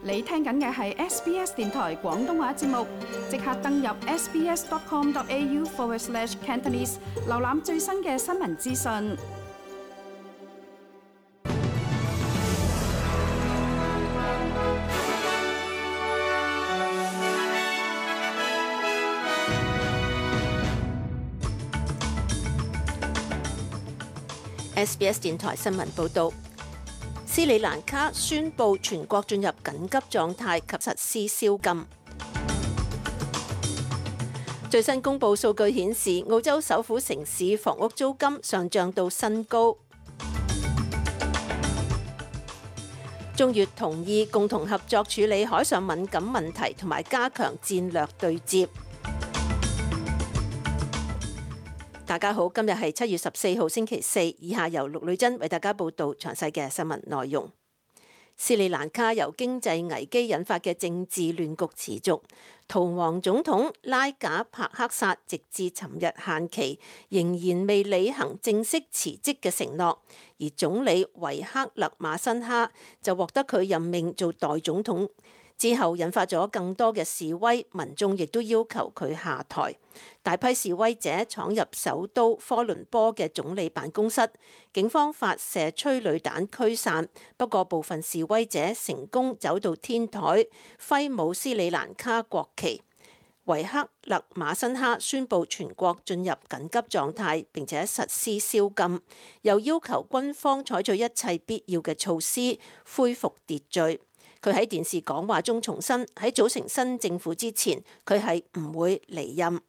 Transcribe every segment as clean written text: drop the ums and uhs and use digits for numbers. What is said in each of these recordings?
你聽緊嘅係 SBS 電台廣東話節目，即刻登入 sbs.com.au/Cantonese 瀏覽最新嘅新聞資訊。SBS 電台新聞報導。斯里蘭卡宣布全國進入緊急狀態及實施宵禁。最新公佈數據顯示，澳洲首府城市房屋租金上漲到新高。中越同意共同合作處理海上敏感問題同埋加強戰略對接。大家好，今日係7月14號星期四，以下由陸女珍為大家報道詳細嘅新聞內容。斯里蘭卡由經濟危機引發嘅政治亂局持續，逃亡總統拉賈帕克薩直至尋日限期仍然未履行正式辭職嘅承諾，而總理維克勒馬辛哈就獲得佢任命做代總統。之後引發咗更多嘅示威，民眾亦都要求佢下台。大批示威者闖入首都科倫坡嘅總理辦公室，警方發射催淚彈驅散。不過部分示威者成功走到天台，揮舞斯里蘭卡國旗。維克勒馬辛哈宣布全國進入緊急狀態，並且實施宵禁，又要求軍方採取一切必要嘅措施恢復秩序。佢喺電視講話中重申，喺組成新政府之前，佢係唔會離任。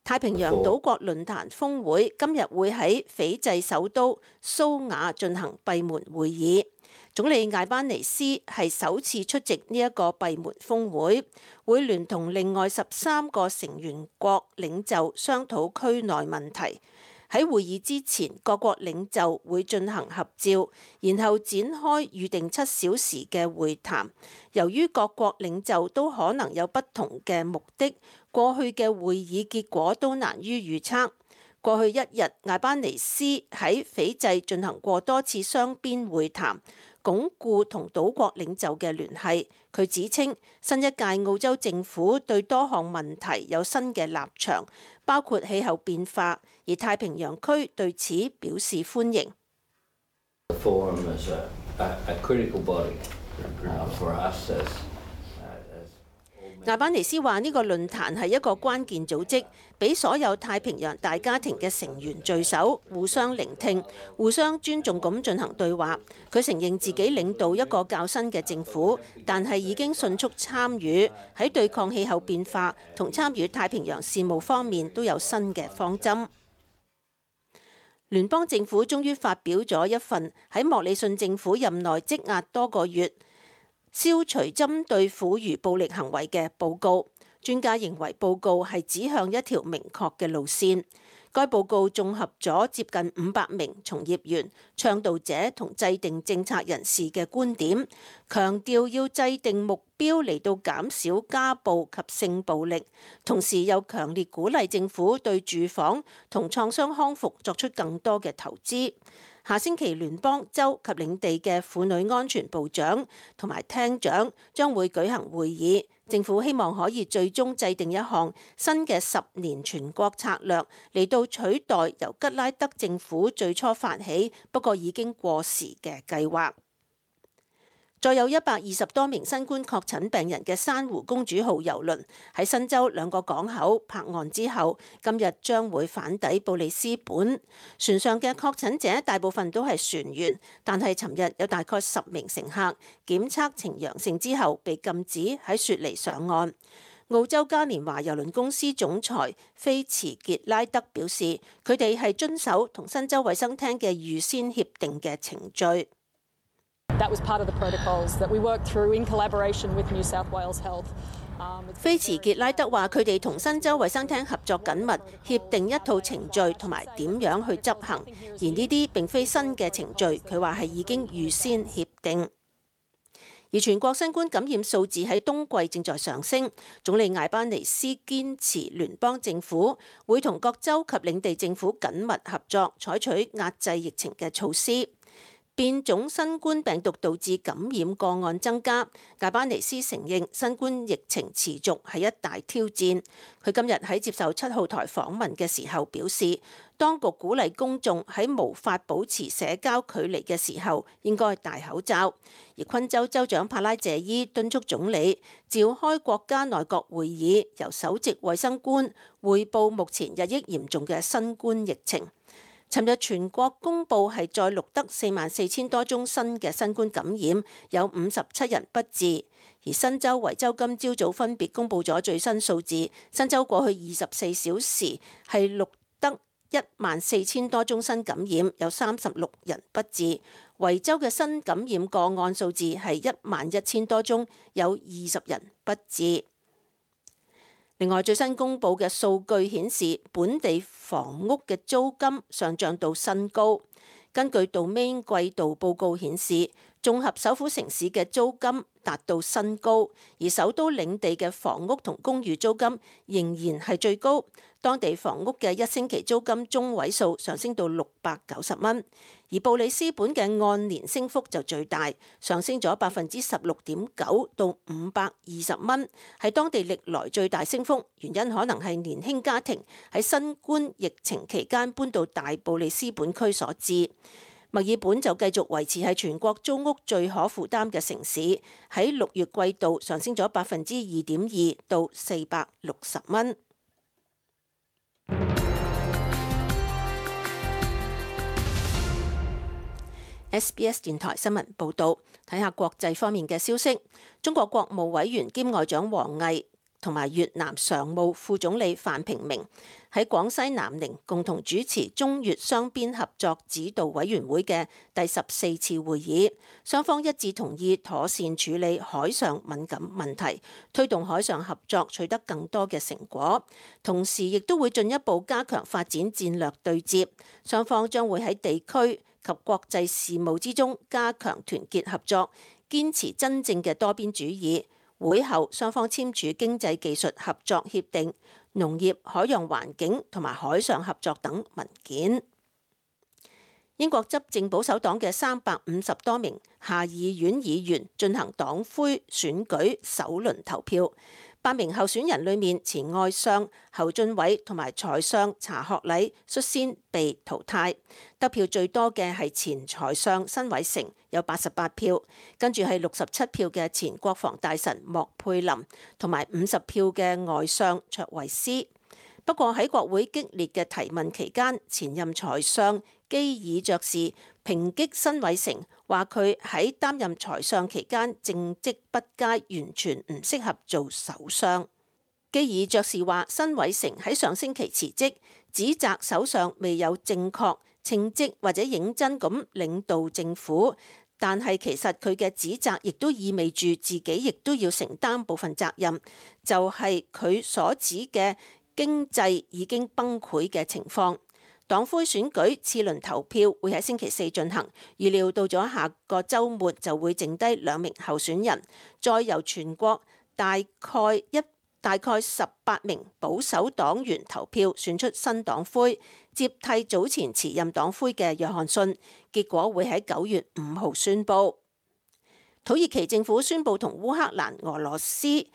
太平洋島國論壇峰會今日會喺斐濟首都蘇瓦進行閉門會議。總理艾班尼斯係首次出席呢一個閉門峰會，會聯同另外13個成員國領袖商討區內問題。喺會議之前，各國領袖會進行合照，然後展開預定7小時嘅會談。由於各國領袖都可能有不同嘅目的，過去嘅會議結果都難於預測。過去一日，艾班尼斯喺斐濟進行過多次雙邊會談，鞏固同島國領袖嘅聯繫。佢指稱新一屆澳洲政府對多項問題有新嘅立場，包括氣候變化，而太平洋區對此表示歡迎。艾班尼斯話呢個論壇係一個關鍵組織，俾所有太平洋大家庭嘅成員聚首，互相聆聽、互相尊重咁進行對話。佢承認自己領導一個較新嘅政府，但係已經迅速參與喺對抗氣候變化同參與太平洋事務方面都有新嘅方針。聯邦政府終於發表咗一份喺莫里遜政府任內積壓多個月消除針對婦孺暴力行為嘅報告。專家認為報告係指向一條明確嘅路線。該報告綜合咗接近500名從業員、倡導者同制定政策人士嘅觀點，強調要制定目標嚟到減少家暴及性暴力，同時又強烈鼓勵政府對住房同創傷康復作出更多嘅投資。下星期聯邦、州及領地嘅婦女安全部長同埋廳長將會舉行會議。政府希望可以最終制定一項新嘅10年全國策略，嚟到取代由吉拉德政府最初發起不過已經過時嘅計劃。再有120多名新冠確診病人嘅珊瑚公主號郵輪喺新州2個港口泊岸之後，今日將會返抵布里斯本。船上嘅確診者大部分都係船員，但係尋日有大概10名乘客檢測呈陽性之後被禁止喺雪梨上岸。澳洲嘉年華郵輪公司總裁菲茨傑拉德表示，佢哋係遵守同新州衛生廳嘅預先協定嘅程序。菲茨傑拉德話：佢哋同新州衛生廳合作緊密，協定一套程序同埋點樣去執行，而呢啲並非新嘅程序，佢話係已經預先協定。而全國新冠感染數字喺冬季正在上升，總理艾班尼斯堅持聯邦政府會同各州及領地政府緊密合作，採取壓制疫情嘅措施。變種新冠病毒導致感染個案增加，艾巴尼斯承認新冠疫情持續係一大挑戰。佢今日喺接受7號台訪問嘅時候表示，當局鼓勵公眾喺無法保持社交距離嘅時候應該戴口罩。而昆州州長帕拉謝伊敦促總理召開國家內閣會議，由首席衛生官匯報目前日益嚴重嘅新冠疫情。尋日全國公佈係再錄得44,000多宗新嘅新冠感染，有57人不治。而新州、維州今朝早分別公佈咗最新數字，新州過去24小時係錄得14,000多宗新感染，有36人不治。維州嘅新感染個案數字係11,000多宗，有20人不治。另外，最新公佈嘅數據顯示，本地房屋嘅租金上漲到新高。根據 Domain 季度報告顯示，綜合首府城市嘅租金達到新高，而首都領地嘅房屋同公寓租金仍然係最高。當地房屋嘅1星期租金中位數上升到690蚊，而布里斯本嘅按年升幅就最大，上升咗16.9%到520蚊，係當地歷來最大升幅。原因可能係年輕家庭喺新冠疫情期間搬到大布里斯本區所致。墨爾本就繼續維持係全國租屋最可負擔嘅城市，喺6月季度上升咗2.2%到460蚊。SBS 電台新聞報導，睇下國際方面嘅消息。中國國務委員兼外長王毅同埋越南常務副總理范平明喺廣西南寧共同主持中越雙邊合作指導委員會嘅第14次會議，雙方一致同意妥善處理海上敏感問題，推動海上合作取得更多嘅成果，同時亦都會進一步加強發展戰略對接。雙方將會喺地區及國際事務之中加強團結合作，堅持真正嘅多邊主義。會後，雙方簽署經濟技術合作協定、農業、海洋環境同埋海上合作等文件。英國執政保守黨嘅350多名下議院議員進行黨魁選舉首輪投票。8名候選人裏面，前外相侯俊偉同埋財相查學禮率先被淘汰。得票最多嘅係前財相辛偉誠，有88票，跟住係67票嘅前國防大臣莫佩林，同埋50票嘅外相卓維斯。不過喺國會激烈嘅提問期間，前任財相基爾爵士抨擊辛偉誠，話佢喺擔任財相期間政績不佳，完全唔適合做首相。基爾爵士話辛偉誠喺上星期辭職，指責首相未有正確稱職或者認真咁領導政府，但係其實佢嘅指責亦都意味住自己亦都要承擔部分責任，就係佢所指嘅經濟已經崩潰嘅情況。黨魁選舉次輪投票會喺星期4進行，預料到咗下個週末就會剩低2名候選人，再由全國大概18名保守黨員投票選出新黨魁，接替早前辭任黨魁嘅約翰遜。結果會喺9月5號宣佈。土耳其政府宣佈同烏克蘭、俄羅斯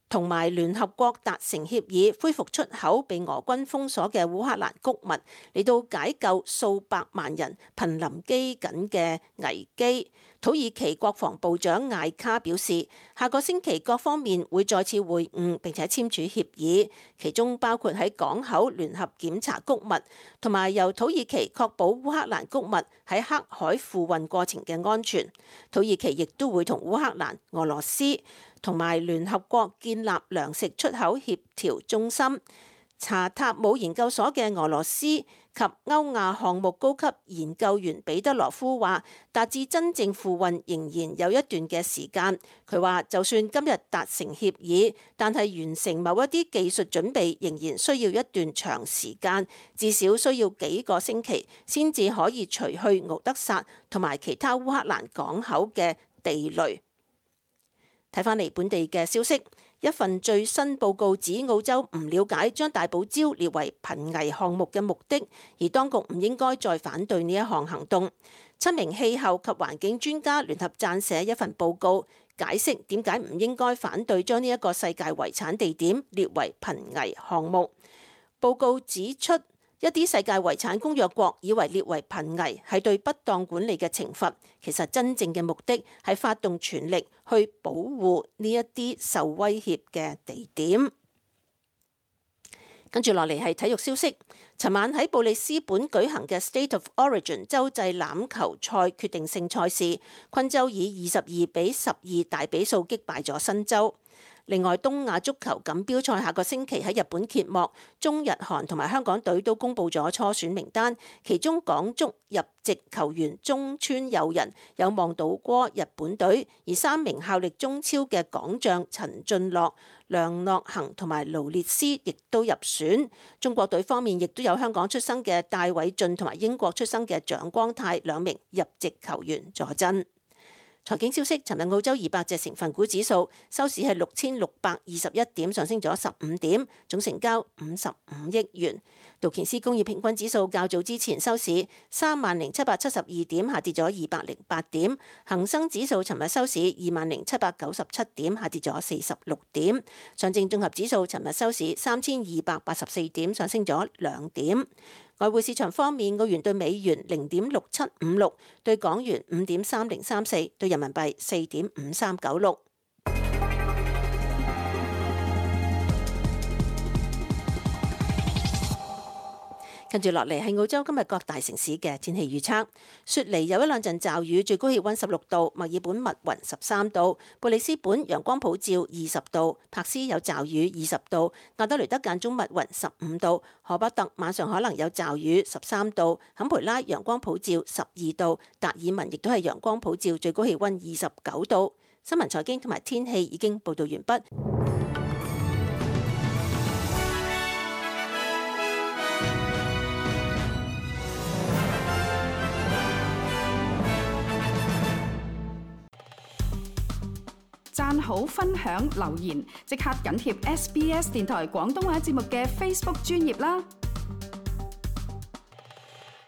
同埋聯合國達成協議，恢復出口被俄軍封鎖嘅烏克蘭穀物，嚟到解救數百萬人瀕臨饑饉嘅危機。土耳其國防部長艾卡表示，下個星期各方面會再次會晤並且簽署協議，其中包括喺港口聯合檢查穀物，同埋由土耳其確保烏克蘭穀物喺黑海付運過程嘅安全。土耳其亦都會同烏克蘭、俄羅斯同埋聯合國建立糧食出口協調中心。查塔姆研究所嘅俄羅斯及歐亞項目高級研究員彼得羅夫話，達至真正付運仍然有一段嘅時間。佢話就算今日達成協議，但係完成某一啲技術準備仍然需要一段長時間，至少需要幾個星期先至可以除去敖德薩同埋其他烏克蘭港口嘅地雷。睇返嚟本地嘅消息，一份最新報告指澳洲唔了解將大堡礁列為瀕危項目嘅目的，而當局唔應該再反對呢一項行動。7名氣候及環境專家聯合撰寫一份報告，解釋點解唔應該反對將呢一個世界遺產地點列為瀕危項目。報告指出，一啲世界遺產公約國以為列為瀕危係對不當管理嘅懲罰，其實真正嘅目的係發動全力去保護呢一啲受威脅嘅地點。跟住落嚟係體育消息。尋晚喺布里斯本舉行嘅 State of Origin 洲際欖球賽決定性賽事，昆州以22-12大比數擊敗咗新州。另外，東亞足球錦標賽下個星期喺日本揭幕，中日韓同埋香港隊都公布咗初選名單，其中港足入籍球員中村佑人有望倒戈日本隊，而3名效力中超嘅港將陳俊樂、梁諾恆同埋勞列斯亦都入選。中國隊方面亦都有香港出生嘅戴偉浚同埋英國出生嘅蔣光太2名入籍球員坐鎮。財經消息，尋日澳洲200隻成分股指數收市係6621點，上升咗15點，總成交55億元。道瓊斯工業平均指數較早之前收市30772點，下跌咗208點。恒生指數尋日收市20797點，下跌咗46點。上證綜合指數尋日收市3284點，上升咗2點。外匯市場方面，澳元對美元0.6756，對港元5.3034，對人民幣4.5396。跟住落嚟係澳洲今日各大城市嘅天氣預測。雪梨有1兩陣驟雨，最高氣溫16度；墨爾本密雲13度；布里斯本陽光普照20度；柏斯有驟雨20度；亞德雷德間中密雲15度；荷伯特晚上可能有驟雨13度；坎培拉陽光普照12度；達爾文亦都係陽光普照，最高氣溫29度。新聞財經同埋天氣已經報道完畢。讚好、分享、留言，即刻緊貼SBS 電台廣東話節目嘅 Facebook 專頁啦！